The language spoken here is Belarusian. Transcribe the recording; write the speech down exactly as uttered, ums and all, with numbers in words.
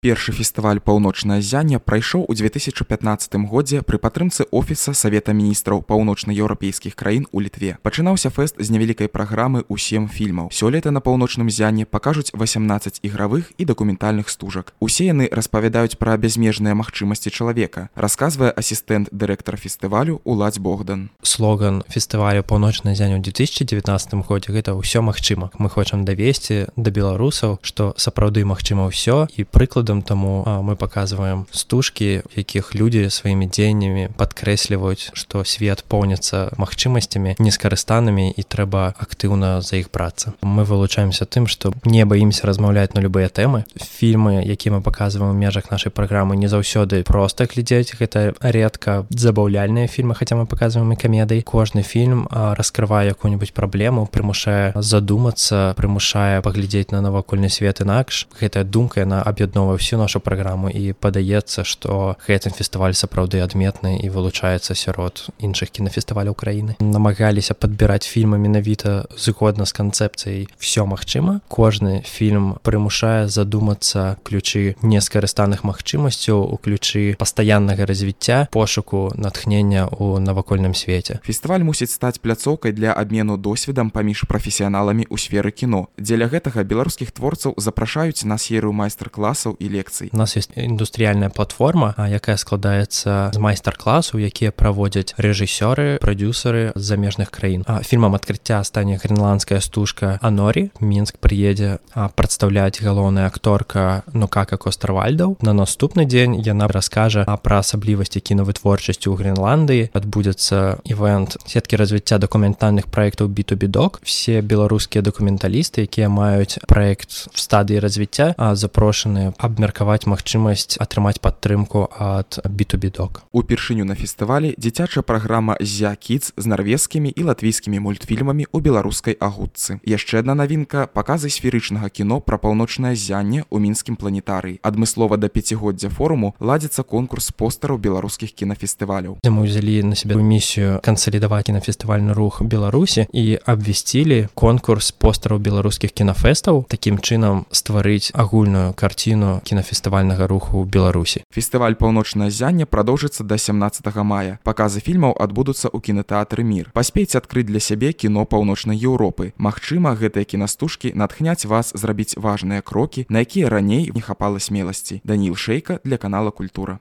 Першы фестываль «Паўночнае ззянне» прайшоў у две тысячы пятнаццатым годзе пры падтрымцы Офіса Савета міністраў паўночнаеўрапейскіх краін у Літве. Пачынаўся фэст з невялікай праграмы ў сем фільмаў. Сёлета на «Паўночным ззянне» пакажуць васямнаццаць ігравых і дакументальных стужак. Усе яны распавядаюць пра бязмежныя магчымасці чалавека, расказвае асістэнт дырэктара фестывалю Уладзь Богдан. Слоган фестывалю «Паўночнае ззянне» ў две тысячы дзевятнаццатым годзе гэта «Усё магчыма». Мы хочам давесці да беларусаў, што сапраўды магчыма ўсё, і прыклад Таму мы паказваем стужкі, якіх людзі сваімі дзеяннямі падкрэсліваюць, што свет поўніцца магчымасцямі нескарыстанымі і трэба актыўна за іх брацца. Мы вылучаемся тым, што не баімся размаўляць на любыя тэмы. Фільмы, якія мы паказваем у межах нашай праграмы, не заўсёды проста глядзець, гэта рэдка забаўляльныя фільмы, хаця мы паказваем і камедыі. Кожны фільм раскрывае якую-небудзь праблему, прымушае задумацца, прымушае паглядзець на навакольны свет інакш. Гэтая думка, яна аб'ядноўвае всю нашу праграму, і падаецца, што гэты фестываль сапраўды адметны і вылучаецца сярод іншых кінафестываляў краіны. Намагаліся падбіраць фільмы менавіта згодна з канцэпцыяй «Всё магчыма». Кожны фільм прымушае задумацца ключы нескарыстаных магчымасцяў, у ключы пастаяннага развіцця, пошуку натхнення ў навакольным свеце. Фестываль мусіць стаць пляцоўкай для абмену досведам паміж прафесіяналамі ў сферы кіно. Дзеля гэтага беларускіх творцаў запрашаюць на серыю майстар-класаў і лекцый. У нас ёсць індустрыяльная платформа, якая складаецца з майстар-класаў, якія праводзяць рэжысёры, прадюсеры з замежных краін. Фільмам адкрыцця стане грэнландская стужка «Анорі». Мінск прыедзе прадстаўляць галоўная акторка Нукака Костарвальдаў. На наступны дзень яна раскажа пра асаблівасці кінавытворчасці ў Грэнландыі. Адбудзецца івэнт сеткі развіцця дакументальных праектаў би ту би Doc. Все беларускія дакументалісты, якія маюць праект в стадыі развіцця, запрошаны абмеркаваць магчымасць атрымаць падтрымку ад би ту би Doc. Упершыню на фестывалі дзіцячая праграма «Зя Кідс» з нарвежскімі і латвійскімі мультфільмамі ў беларускай агутцы. Яшчэ адна навінка – паказы сферычнага кіно пра паўночнае ззянне ў мінскім планетарыі. Адмыслова да пяцігоддзя форуму ладзіцца конкурс постараў беларускіх кінафестываляў. Мы ўзялі на сябе місію кансалідаваць кінафестывальны рух Беларусі і абвясцілі конкурс постараў беларускіх кінафэстаў, такім чынам стварыць агульную карціну кінафестывальнага руху ў Беларусі. Фестываль «Паўночнае ззянне» прадоўжыцца да сямнаццатага мая. Паказы фільмаў адбудуцца ў кінатэатры «Мір». Паспейце адкрыць для сябе кіно паўночнай Еўропы. Магчыма, гэтыя кінастужкі натхняць вас зрабіць важныя крокі, на якія раней не хапала смеласці. Даніл Шэйка для канала «Культура».